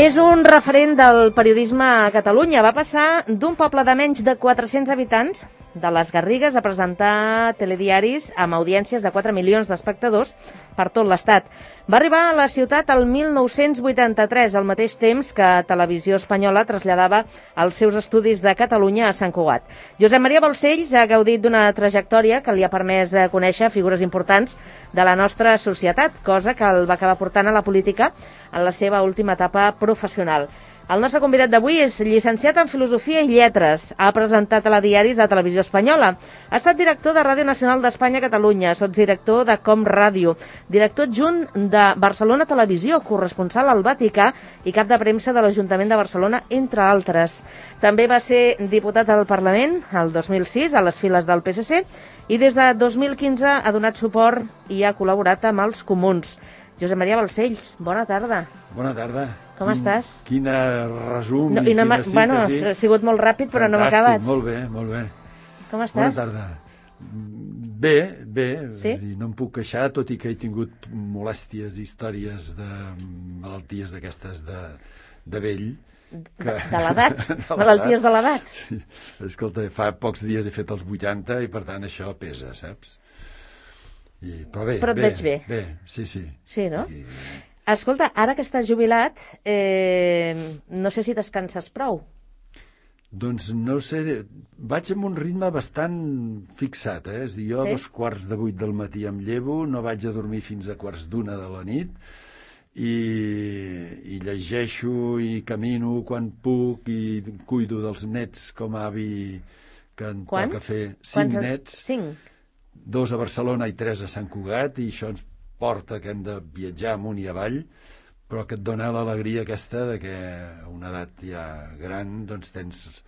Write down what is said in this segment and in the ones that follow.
És un referent del periodisme a Catalunya. Va passar d'un poble de menys de 400 habitants, de les Garrigues, a presentar telediaris amb audiències de 4 milions d'espectadors per tot l'Estat. Va arribar a la ciutat el 1983, al mateix temps que Televisió Espanyola traslladava els seus estudis de Catalunya a Sant Cugat. Josep Maria Balcells ha gaudit d'una trajectòria que li ha permès conèixer figures importants de la nostra societat, cosa que el va acabar portant a la política en la seva última etapa professional. El nostre convidat d'avui és llicenciat en Filosofia i Lletres. Ha presentat telediaris a Televisió Espanyola. Ha estat director de Ràdio Nacional d'Espanya a Catalunya, sotsdirector de Com Ràdio, director adjunt de Barcelona Televisió, corresponsal al Vaticà i cap de premsa de l'Ajuntament de Barcelona, entre altres. També va ser diputat al Parlament el 2006 a les files del PSC i des de 2015 ha donat suport i ha col·laborat amb els Comuns. Josep Maria Balcells, bona tarda. Bona tarda. Com estàs? Quina resum i quina síntesi. Bueno, ha sigut molt ràpid, però no m'ha acabat. Molt bé, molt bé. Com estàs? Bona tarda. Bé. Sí? No em puc queixar, tot i que he tingut molèsties i històries de malalties d'aquestes de vell. De l'edat? Malalties de l'edat? Sí. Escolta, fa pocs dies he fet els 80 i per tant això pesa, saps? Però bé. Però et veig bé. Bé, sí. Sí, no? Escolta, ara que estàs jubilat, no sé si descanses prou. Doncs no sé, vaig amb un ritme bastant fixat, És a dir, jo a 7:45 del matí em llevo, no vaig a dormir fins a 1:15 de la nit, i llegeixo i camino quan puc i cuido dels nets com a avi que em toca fer 5 nets. 5? 2 a Barcelona i 3 a Sant Cugat, i això ens porta que hem de viatjar amunt i avall, però que et dona l'alegria aquesta de que a una edat ja gran doncs tens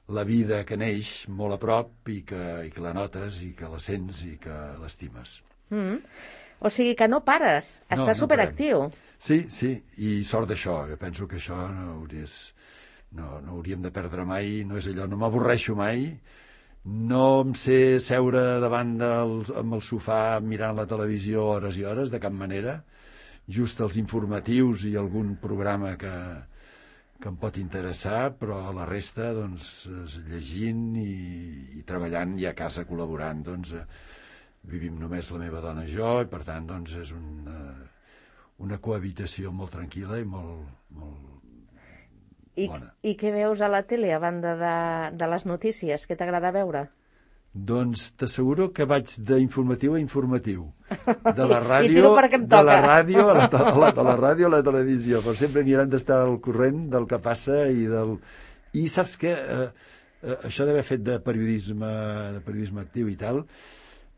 la vida que neix molt a prop i que la notes i que la sents i que l'estimes. O sigui que no pares, estàs superactiu. Sí, i sort d'això. Jo penso que això no hauríem de perdre mai, no és allò, no m'avorreixo mai, no em sé seure davant amb el sofà mirant la televisió hores i hores, de cap manera. Just els informatius i algun programa que em pot interessar, però la resta, doncs, llegint i treballant i a casa col·laborant, doncs, vivim només la meva dona i jo, i per tant, doncs, és una cohabitació molt tranquil·la i molt bona. I què veus a la tele, a banda de les notícies? Què t'agrada veure? Doncs t'asseguro que vaig d'informatiu a informatiu. De la ràdio, I tiro perquè em toca. De la ràdio a la televisió, però sempre mirant d'estar al corrent del que passa I saps què? Això d'haver fet de periodisme actiu i tal,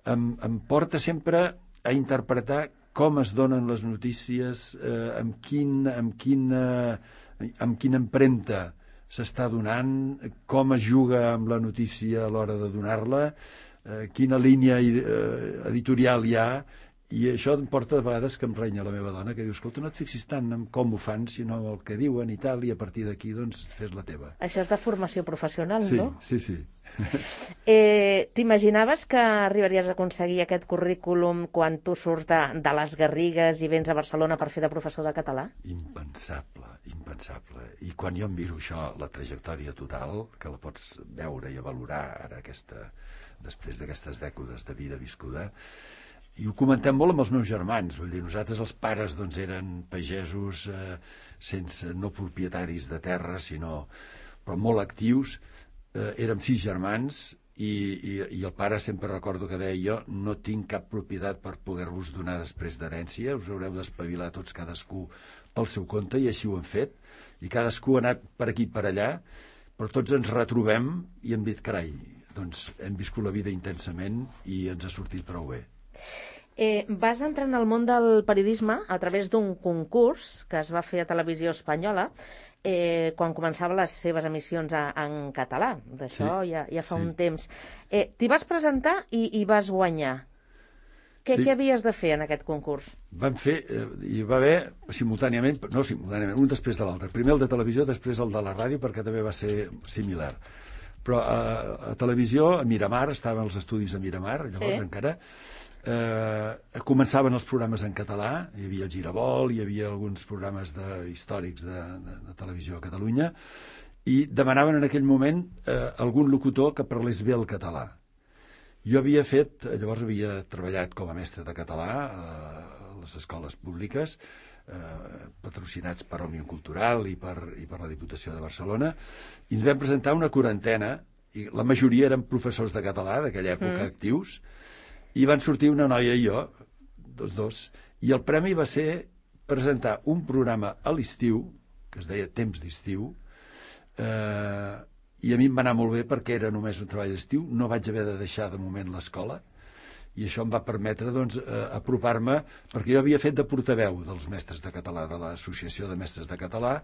em porta sempre a interpretar com es donen les notícies, amb quina empremta s'està donant, com es juga amb la notícia a l'hora de donar-la, quina línia editorial hi ha, i això em porta de vegades que em renya la meva dona, que diu, escolta, no et fixis tant en com ho fan, sinó en el que diuen i tal, i a partir d'aquí, doncs, fes la teva. Això és de formació professional, no? Sí. T'imaginaves que arribaries a aconseguir aquest currículum quan tu surts de les Garrigues i vens a Barcelona per fer de professor de català? Impensable. I quan jo em miro això, la trajectòria total, que la pots veure i valorar ara després d'aquestes dècades de vida viscuda, i ho comentem molt amb els meus germans, vull dir, nosaltres els pares doncs eren pagesos no propietaris de terra, però molt actius, érem 6 germans i el pare sempre recordo que deia, jo no tinc cap propietat per poder-vos donar després d'herència, us haureu d'espavilar tots cadascú pel seu compte, i així ho hem fet, i cadascú ha anat per aquí per allà, però tots ens retrobem i hem dit, carai, doncs hem viscut la vida intensament i ens ha sortit prou bé. Vas entrar en el món del periodisme a través d'un concurs que es va fer a Televisió Espanyola quan començava les seves emissions en català. D'això ja fa un temps. T'hi vas presentar i vas guanyar. Què havies de fer en aquest concurs? Vam fer, hi va haver simultàniament, un després de l'altre. Primer el de televisió, després el de la ràdio, perquè també va ser similar. Però a televisió, a Miramar, estaven els estudis a Miramar, llavors encara, començaven els programes en català, hi havia el Giravolt, hi havia alguns programes històrics de televisió a Catalunya, i demanaven en aquell moment algun locutor que parlés bé el català. Jo llavors havia treballat com a mestre de català a les escoles públiques, patrocinats per Òmnium Cultural i per la Diputació de Barcelona, i ens vam presentar una quarantena, i la majoria eren professors de català d'aquella època actius, i van sortir una noia i jo, dos, i el premi va ser presentar un programa a l'estiu, que es deia Temps d'estiu, i a mi em va anar molt bé perquè era només un treball d'estiu, no vaig haver de deixar de moment l'escola, i això em va permetre apropar-me, perquè jo havia fet de portaveu dels mestres de català, de l'Associació de Mestres de Català,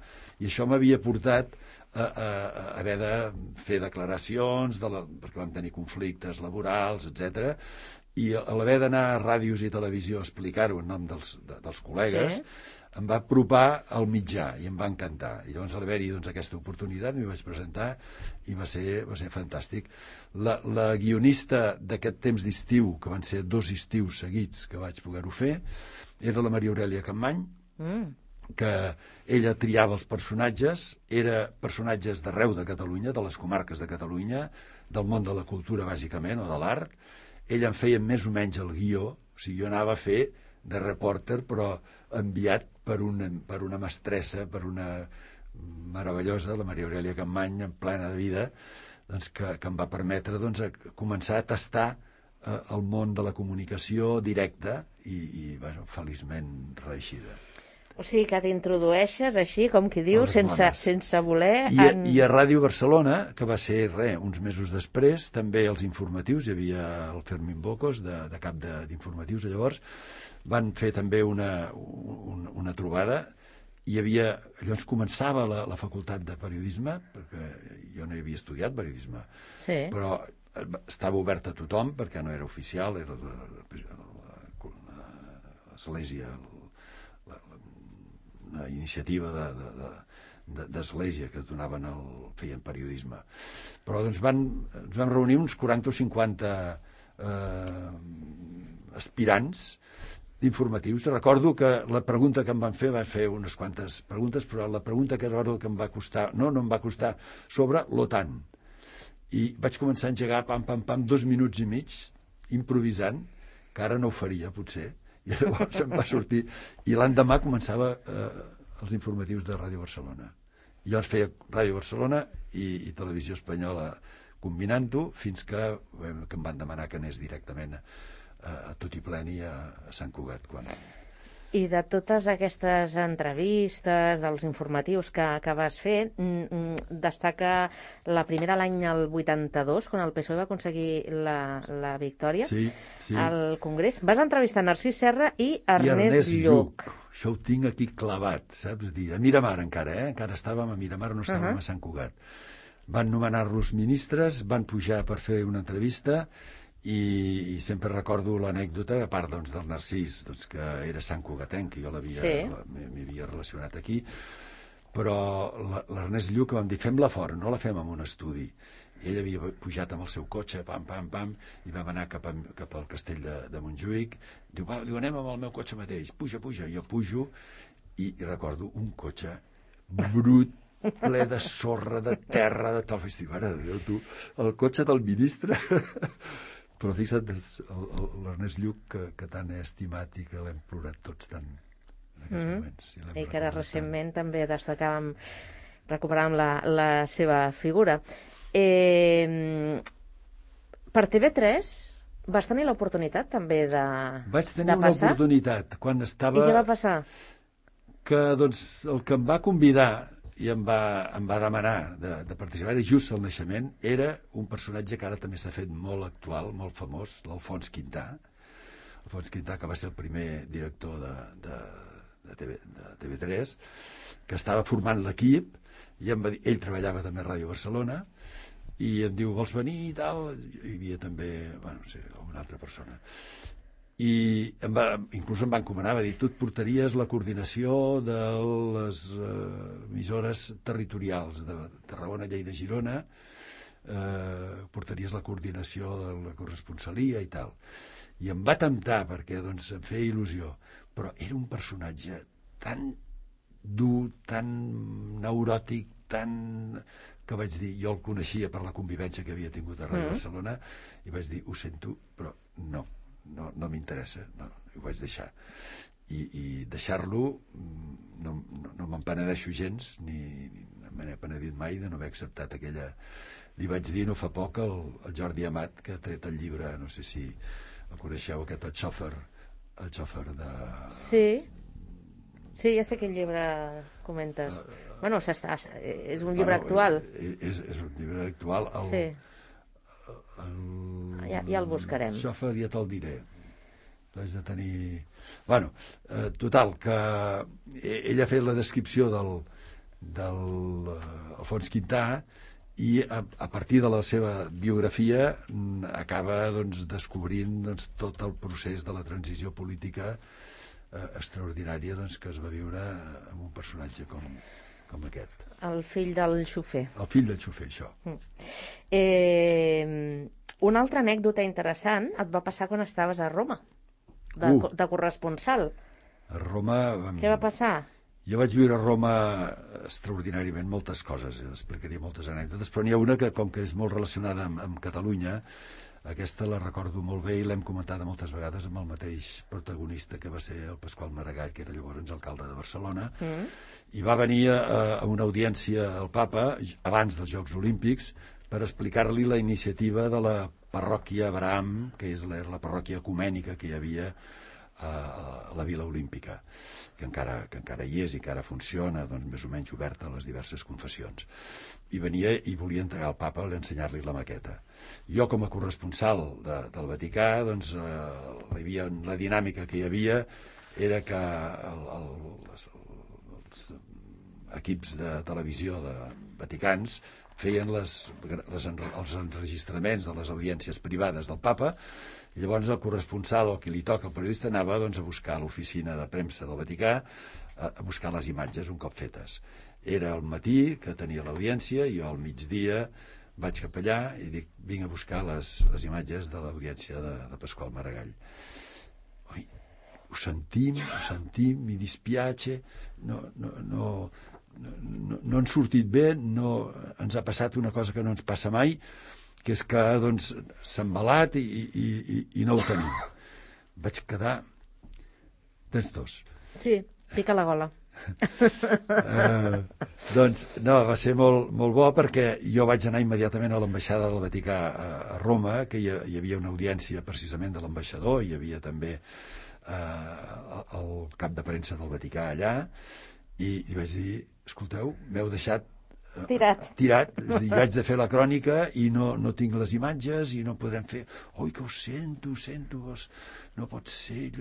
i això m'havia portat a haver de fer declaracions, perquè vam tenir conflictes laborals, etc. I a l'haver d'anar a ràdios i televisió a explicar-ho en nom dels col·legues, em va apropar al mitjà i em va encantar. I llavors, al haver-hi aquesta oportunitat, m'hi vaig presentar i va ser fantàstic. La guionista d'aquest Temps d'estiu, que van ser 2 estius seguits que vaig poder-ho fer, era la Maria Aurèlia Campmany, que ella triava els personatges, era personatges d'arreu de Catalunya, de les comarques de Catalunya, del món de la cultura, bàsicament, o de l'art. Ella em feia més o menys el guió, o sigui, jo anava a fer de reporter, però enviat per una mestressa, per una meravellosa, la Maria Aurèlia Campmany, en plena de vida, que em va permetre començar a tastar el món de la comunicació directa i feliçment reeixida. O sigui que t'introdueixes així, com qui diu, sense voler... I a Ràdio Barcelona, que va ser uns mesos després, també els informatius, hi havia el Fermín Bocos, de cap d'informatius llavors, van fer també una trobada, llavors començava la facultat de periodisme, perquè jo no hi havia estudiat periodisme, però estava obert a tothom, perquè no era oficial, era l'església, una iniciativa d'església que feien periodisme. Però ens vam reunir uns 40 o 50 aspirants d'informatius. Recordo que la pregunta que em van fer unes quantes preguntes, però la pregunta que recordo que em va costar, no em va costar, sobre l'OTAN. I vaig començar a engegar, pam, 2 minuts i mig, improvisant, que ara no ho faria, potser, i llavors em va sortir, i l'endemà començava els informatius de Ràdio Barcelona. I llavors feia Ràdio Barcelona i Televisió Espanyola combinant-ho, fins que em van demanar que anés directament a tot i pleni a Sant Cugat. I de totes aquestes entrevistes, dels informatius que vas fer, destaca la primera l'any el 82, quan el PSOE va aconseguir la victòria al Congrés. Vas entrevistar Narcís Serra i Ernest Lluch. Això ho tinc aquí clavat, saps? A Miramar encara, encara estàvem a Miramar, no estàvem a Sant Cugat. Van nomenar-los ministres, van pujar per fer una entrevista, i sempre recordo l'anècdota, a part del Narcís, que era santcugatenc, que jo m'hi havia relacionat aquí, però l'Ernest Lluch vam dir, fem-la fora, no la fem en un estudi. I ell havia pujat amb el seu cotxe, pam, i vam anar cap al castell de Montjuïc. Diu, anem amb el meu cotxe mateix, puja. Jo pujo i recordo un cotxe brut, ple de sorra, de terra, de tal. Dic, mare de Déu, tu, el cotxe del ministre... Però fixa't, l'Ernest Lluch, que tant he estimat i que l'hem plorat tots tant en aquests moments. I que ara recentment també recuperàvem la seva figura. Per TV3 vas tenir l'oportunitat també de passar? Vaig tenir una oportunitat quan estava... I què va passar? Que el que em va convidar i em va demanar de participar, era just al naixement, era un personatge que ara també s'ha fet molt actual, molt famós, l'Alfons Quintà. Alfons Quintà, que va ser el primer director de TV3, que estava formant l'equip, i em va dir, ell treballava també a Ràdio Barcelona, i em diu, vols venir i tal? Hi havia també, una altra persona. I inclús em va encomanar, va dir, tu et portaries la coordinació de les emissores territorials de Tarragona, Lleida, Girona, portaries la coordinació de la corresponsalia i tal. I em va temptar perquè doncs, em feia il·lusió, però era un personatge tan dur, tan neuròtic, tan... que vaig dir, jo el coneixia per la convivència que havia tingut a Ràdio Barcelona, i vaig dir, ho sento, però no m'interessa, no, ho vaig deixar. I deixar-lo no me'n penedeixo gens, ni me n'he penedit mai de no haver acceptat aquella... Li vaig dir no fa poc al Jordi Amat, que ha tret el llibre, no sé si el coneixeu, aquest el xòfer de... Sí, ja sé quin llibre comentes. Bueno, és un llibre actual. És un llibre actual. Sí. Ja el buscarem. El xòfer ja te'l diré. L'haig de tenir... Bueno, total, que ell ha fet la descripció del Alfons Quintà i a partir de la seva biografia acaba doncs, descobrint doncs, tot el procés de la transició política extraordinària doncs, que es va viure amb un personatge com aquest. El fill del xofer. El fill del xofer, això. Una altra anècdota interessant et va passar quan estaves a Roma, de corresponsal. A Roma... Què va passar? Jo vaig viure a Roma extraordinàriament moltes coses, explicaria moltes anècdotes, però n'hi ha una que, com que és molt relacionada amb Catalunya, aquesta la recordo molt bé i l'hem comentada moltes vegades amb el mateix protagonista que va ser el Pasqual Maragall, que era llavors alcalde de Barcelona, i va venir a una audiència al papa abans dels Jocs Olímpics per explicar-li la iniciativa de la parròquia Abraham, que és la parròquia ecumènica que hi havia a la Vila Olímpica, que encara hi és i que ara funciona, doncs, més o menys oberta a les diverses confessions. I venia i volia entregar al papa a ensenyar-li la maqueta. Jo, com a corresponsal del Vaticà, doncs, la dinàmica que hi havia era que els equips de televisió de vaticans feien els enregistraments de les audiències privades del papa. I llavors el corresponsal o qui li toca, el periodista, anava doncs, a buscar a l'oficina de premsa del Vaticà a buscar les imatges un cop fetes. Era al matí que tenia l'audiència i jo al migdia vaig cap allà i dic, vinc a buscar les imatges de l'audiència de Pasqual Maragall. Oi, ho sentim, mi dispiace, no han sortit bé, ens ha passat una cosa que no ens passa mai, que és que doncs, s'ha embalat i no ho tenim. Vaig quedar... Tens tos? Sí, pica la gola. Doncs no, va ser molt bo perquè jo vaig anar immediatament a l'ambaixada del Vaticà a Roma, que hi havia una audiència precisament de l'ambaixador, hi havia també el cap de premsa del Vaticà allà, i vaig dir, escolteu, m'heu deixat tirat. És a dir, vaig de fer la crònica i no tinc les imatges i no podrem fer... Oi, que ho sento, no pot ser,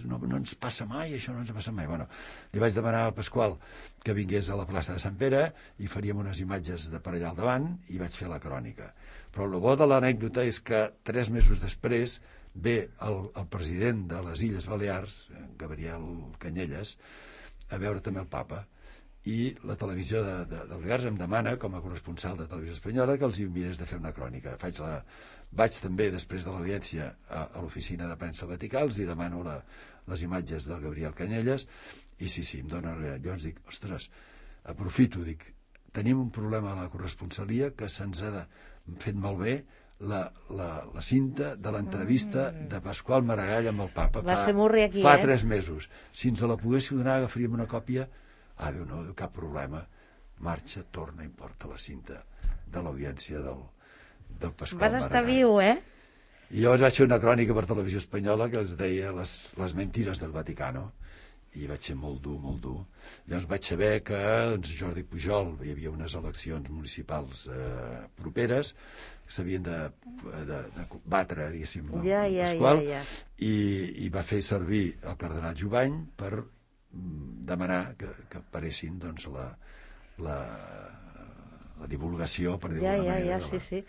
no ens passa mai, això no ens passa mai. Bueno, li vaig demanar al Pasqual que vingués a la plaça de Sant Pere i faríem unes imatges de per allà al davant i vaig fer la crònica. Però el bo de l'anècdota és que 3 mesos després ve el president de les Illes Balears, Gabriel Canyelles, a veure també el papa. I la televisió de Balears em demana, com a corresponsal de Televisió Espanyola, que els hi mirés de fer una crònica. Vaig també, després de l'audiència, a l'oficina de premsa Vaticà, els hi demano les imatges del Gabriel Canyelles, i sí, em donen... Llavors dic, ostres, aprofito, dic, tenim un problema a la corresponsalia que se'ns ha fet malbé la cinta de l'entrevista de Pasqual Maragall amb el papa fa 3 mesos. Si ens la poguéssiu donar, agafaríem una còpia. Diu, no, cap problema, marxa, torna i porta la cinta de l'audiència del Pasqual Maragall. Vas estar viu, I llavors vaig fer una crònica per Televisió Espanyola que es deia les mentires del Vaticano, i vaig ser molt dur. Llavors vaig saber que Jordi Pujol, hi havia unes eleccions municipals properes, que s'havien de batre, diguéssim, el Pasqual, i va fer servir el cardenal Jubany per demanar que aparessin doncs, la divulgació, per dir-ho d'alguna manera. Sí.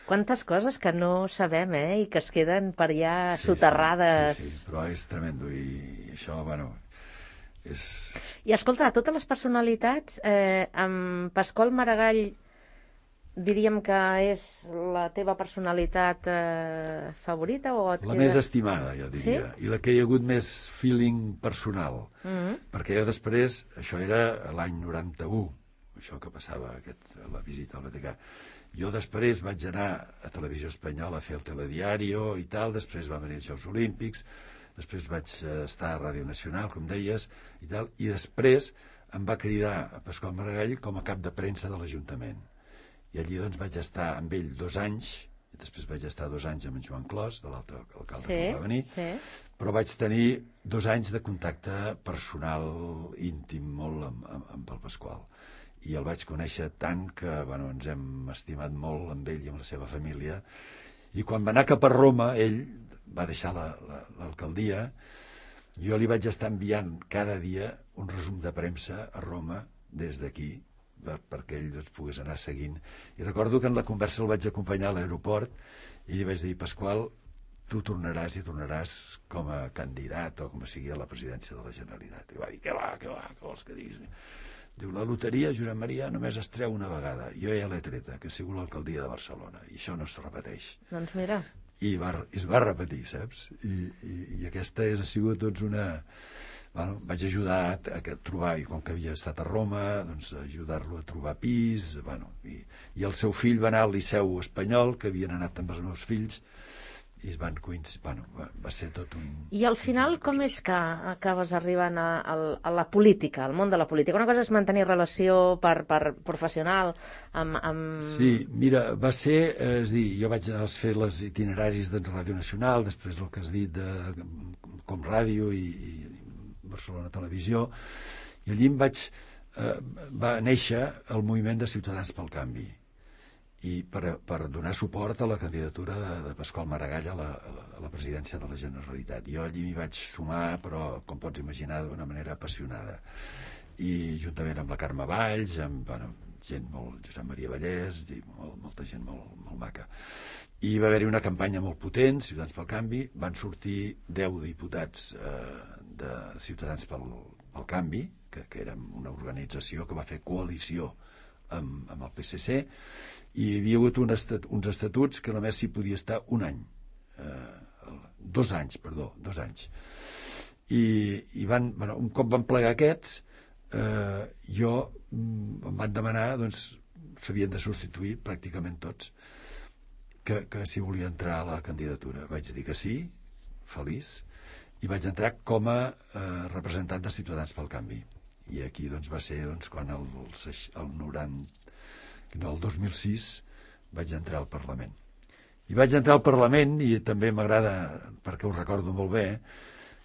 Quantes coses que no sabem, i que es queden per allà soterrades. Sí, però és tremendo, i això, bueno, és... I escolta, totes les personalitats, amb Pasqual Maragall diríem que és la teva personalitat favorita? O La més estimada, jo diria, sí? i la que hi ha hagut més feeling personal, perquè jo després, això era l'any 91, això que passava, la visita al Vaticà. Jo després vaig anar a Televisió Espanyola a fer el telediario i tal, després va venir els Jocs Olímpics, després vaig estar a Ràdio Nacional, com deies, i tal, i després em va cridar a Pasqual Maragall com a cap de premsa de l'Ajuntament. I allí doncs vaig estar amb ell 2 anys, i després vaig estar 2 anys amb en Joan Clos, de l'altre alcalde que va venir, però vaig tenir 2 anys de contacte personal íntim molt amb el Pasqual. I el vaig conèixer tant que ens hem estimat molt amb ell i amb la seva família. I quan va anar cap a Roma, ell va deixar l'alcaldia, jo li vaig estar enviant cada dia un resum de premsa a Roma des d'aquí, perquè ell pogués anar seguint. I recordo que en la conversa el vaig acompanyar a l'aeroport i li vaig dir: Pasqual, tu tornaràs i tornaràs com a candidat o com a sigui a la presidència de la Generalitat. I va dir: què vols que diguis? Diu: la loteria, Josep Maria, només es treu una vegada. Jo ja l'he treta, que ha sigut l'alcaldia de Barcelona, i això no es repeteix. Doncs mira. I es va repetir, saps? I aquesta ha sigut una... vaig ajudar a trobar, i com que havia estat a Roma, doncs ajudar-lo a trobar pis, i el seu fill va anar al Liceu Espanyol, que havien anat amb els meus fills, i es van coincidir, va ser tot un... I al final com és que acabes arribant a la política, al món de la política? Una cosa és mantenir relació per professional amb... Sí, mira, va ser, és dir, jo vaig fer els itineraris de Ràdio Nacional, després el que has dit de Com Ràdio i Barcelona Televisió, i allí va néixer el moviment de Ciutadans pel Canvi, i per donar suport a la candidatura de Pasqual Maragall a la presidència de la Generalitat. Jo allí m'hi vaig sumar, però, com pots imaginar, d'una manera apassionada. I juntament amb la Carme Valls, amb gent molt... Josep Maria Vallès, i molta gent molt maca. I va haver-hi una campanya molt potent, Ciutadans pel Canvi, van sortir 10 diputats de Ciutadans pel Canvi, que érem una organització que va fer coalició amb el PSC, i hi havia hagut uns estatuts que només s'hi podia estar 2 anys. I un cop van plegar aquests, em van demanar, doncs, s'havien de substituir pràcticament tots, que si volia entrar a la candidatura. Vaig dir que sí, feliç, i vaig entrar com a representant de Ciutadans pel Canvi. I aquí va ser quan el 2006 vaig entrar al Parlament. I vaig entrar al Parlament, i també m'agrada, perquè ho recordo molt bé,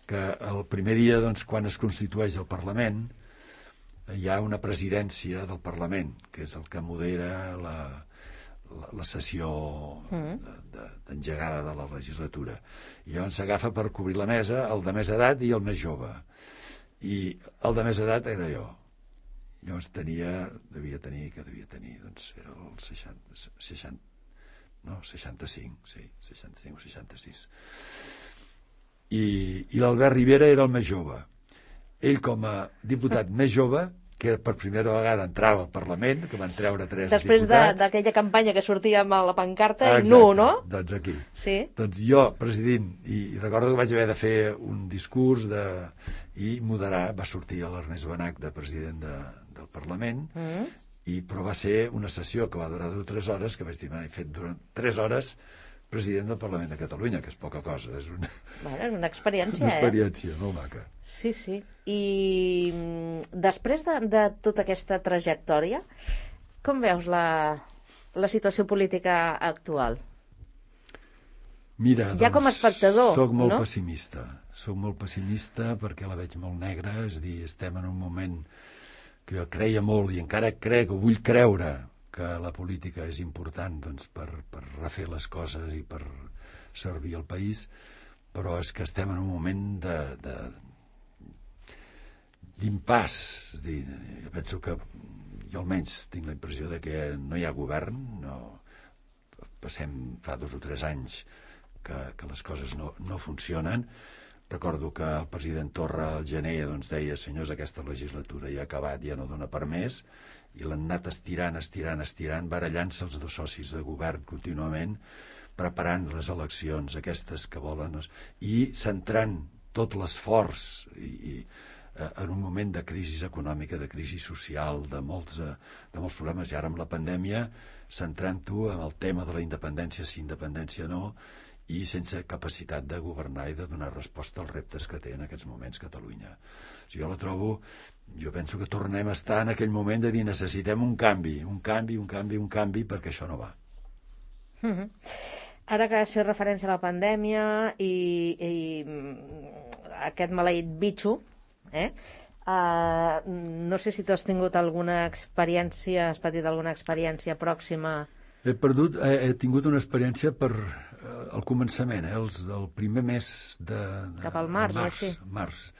que el primer dia, quan es constitueix el Parlament, hi ha una presidència del Parlament, que és el que modera la sessió d'engegada de la legislatura. I llavors s'agafa per cobrir la mesa el de més edat i el més jove. I el de més edat era jo. Llavors devia tenir, doncs era el 65, sí, 65 o 66. I l'Albert Rivera era el més jove. Ell, com a diputat més jove, que per primera vegada entrava al Parlament, que van treure 3 després diputats. Després d'aquella campanya que sortia amb la pancarta, exacte, i no? Doncs aquí. Sí. Doncs jo, presidint, i recordo que vaig haver de fer un discurs i moderar, va sortir l'Ernest Benach de president del Parlament, però va ser una sessió que va durar 2 o 3 hores, que vaig dir, he fet durant 3 hores president del Parlament de Catalunya, que és poca cosa, és una experiència, una experiència molt maca. Sí. I després de tota aquesta trajectòria, com veus la situació política actual? Mira, ja com a espectador, soc molt pessimista. Soc molt pessimista perquè la veig molt negra, és a dir, estem en un moment que jo creia molt i encara crec o vull creure que la política és important, doncs, per refer les coses i per servir al país, però és que estem en un moment d'impàs. És a dir, jo penso que jo almenys tinc la impressió de que no hi ha govern, passem fa 2 o 3 anys que les coses no funcionen. Recordo que el president Torra al gener deia: senyors, aquesta legislatura ja ha acabat, ja no dona per més, i l'han anat estirant, barallant-se els dos socis de govern contínuament, preparant les eleccions aquestes que volen, i centrant tot l'esforç en un moment de crisi econòmica, de crisi social, de molts problemes, i ara amb la pandèmia centrant-ho en el tema de la independència, si independència no, i sense capacitat de governar i de donar resposta als reptes que té en aquests moments Catalunya. Jo penso que tornem a estar en aquell moment de dir necessitem un canvi, perquè això no va. Ara que has fet referència a la pandèmia i aquest maleït bitxo, no sé si tu has tingut alguna experiència, has patit alguna experiència pròxima. He tingut una experiència al començament, el primer mes de cap al març, març.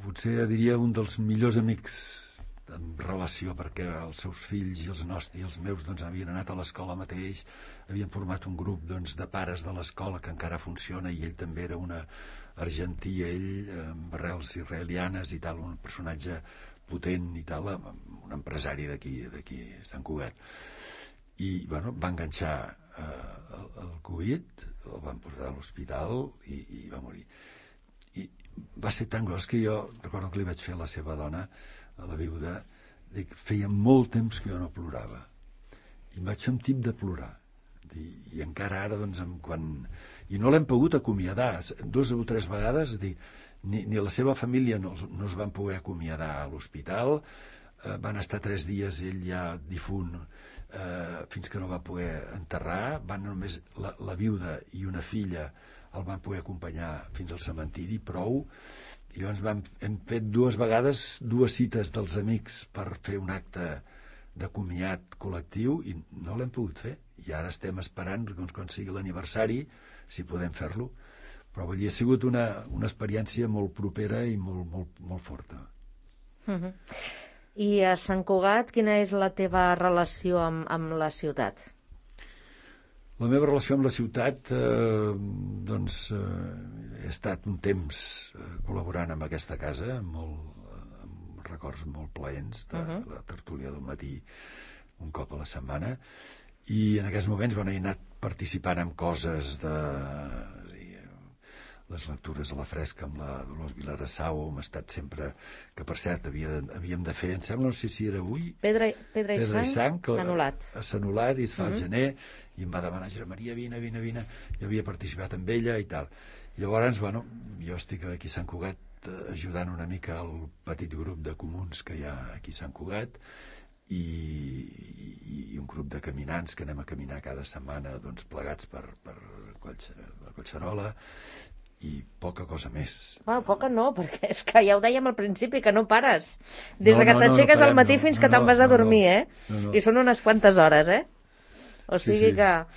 Potser diria un dels millors amics en relació, perquè els seus fills i els nostres i els meus havien anat a l'escola mateix, havien format un grup de pares de l'escola que encara funciona, i ell també era un argentí, ell amb arrels israelianes i tal, un personatge potent i tal, un empresari d'aquí Sant Cugat, i va enganxar el Covid, el van portar a l'hospital i va morir. I va ser tan gros que jo recordo que li vaig fer a la seva dona, a la viuda, dic, feia molt temps que jo no plorava, i em vaig fer un tip de plorar, i encara ara i no l'hem pogut acomiadar 2 o 3 vegades, ni la seva família no es van poder acomiadar a l'hospital, van estar 3 dies ell ja difunt, fins que no va poder enterrar, només la viuda i una filla el van poder acompanyar fins al cementiri, prou. I llavors hem fet 2 vegades 2 cites dels amics per fer un acte de comiat col·lectiu, i no l'hem pogut fer, i ara estem esperant quan sigui l'aniversari si podem fer-lo, però ha sigut una experiència molt propera i molt forta. I a Sant Cugat, quina és la teva relació amb la ciutat? La meva relació amb la ciutat, he estat un temps col·laborant amb aquesta casa, amb records molt plaents de la tertúlia del matí un cop a la setmana, i en aquests moments he anat participant en coses les lectures a la fresca amb la Dolors Vilarassau, hem estat sempre, que per cert havíem de fer, em sembla, no sé si era avui, Pedra i sang, s'ha anul·lat i es fa al gener, i em va demanar, Josep Maria, vine, jo havia participat amb ella i tal. Llavors, jo estic aquí a Sant Cugat ajudant una mica al petit grup de comuns que hi ha aquí a Sant Cugat, i un grup de caminants que anem a caminar cada setmana plegats per Collserola, i poca cosa més. Poca no, perquè és que ja ho dèiem al principi, que no pares. Des que t'aixeques al matí fins que te'n vas a dormir, I són unes quantes hores, O sigui que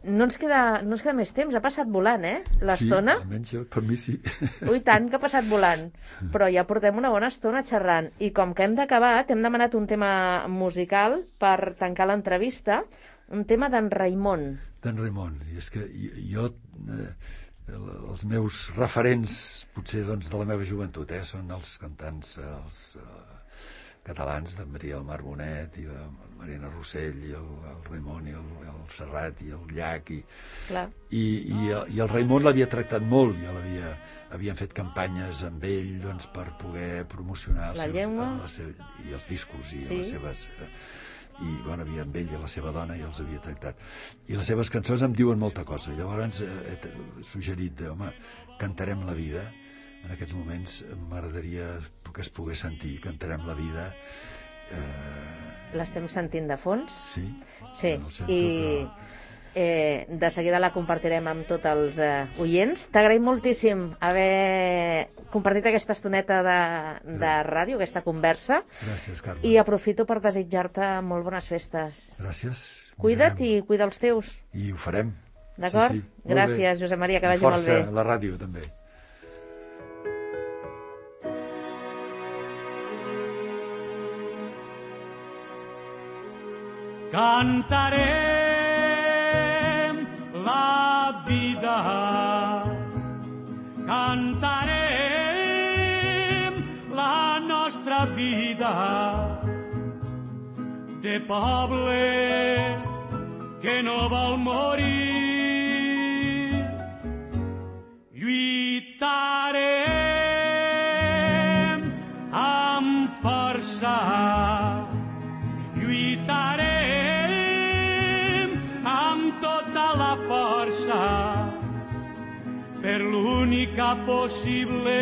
no ens queda més temps. Ha passat volant, l'estona? Sí, almenys per mi sí. Ui, tant que ha passat volant. Però ja portem una bona estona xerrant. I com que hem d'acabar, t'hem demanat un tema musical per tancar l'entrevista, un tema d'en Raimon. D'en Raimon. I és que jo... els meus referents, potser de la meva joventut, són els cantants catalans, de Maria del Mar Bonet i de Marina Rossell, i el Raimon i el Serrat i el Llach, i el Raimon l'havia tractat molt, havien fet campanyes amb ell per poder promocionar la llengua i els discos i les seves... i havia amb ell i la seva dona i els havia tractat, i les seves cançons em diuen molta cosa. Llavors he suggerit cantarem la vida. En aquests moments m'agradaria que es pogués sentir Cantarem la vida. L'estem sentint de fons? Sí. I de seguida la compartirem amb tots els oients. T'agraïm moltíssim haver compartit aquesta estoneta de ràdio, aquesta conversa. Gràcies, Carme. I aprofito per desitjar-te molt bones festes. Gràcies. Cuida't i cuida els teus. I ho farem. D'acord? Sí. Gràcies, Josep Maria, que vagi molt bé. Força a la ràdio, també. Cantarem la vida, cantarem la nostra vida. de poble que no vol morir. Lluitarem amb força, lluitarem amb tota la força per l'única possible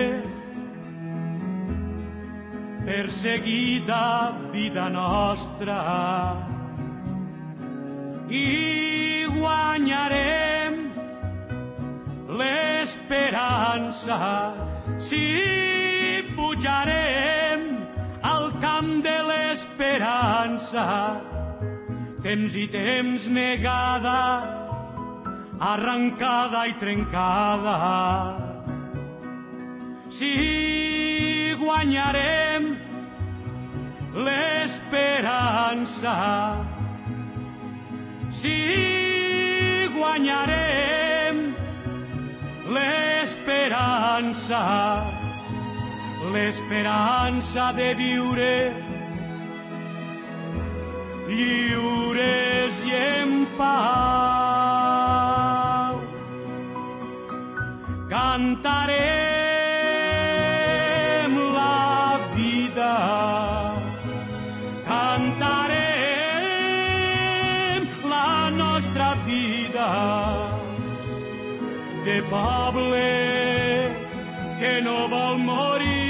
perseguida vida nostra, i guanyarem l'esperança si pujarem al camp de l'esperança. Temps i temps negada, arrancada i trencada. Si guanyarem l'esperança, si guanyarem l'esperança, l'esperança de viure lliures i en pau. Cantarem la vida, cantarem la nostra vida de poble que no vol morir.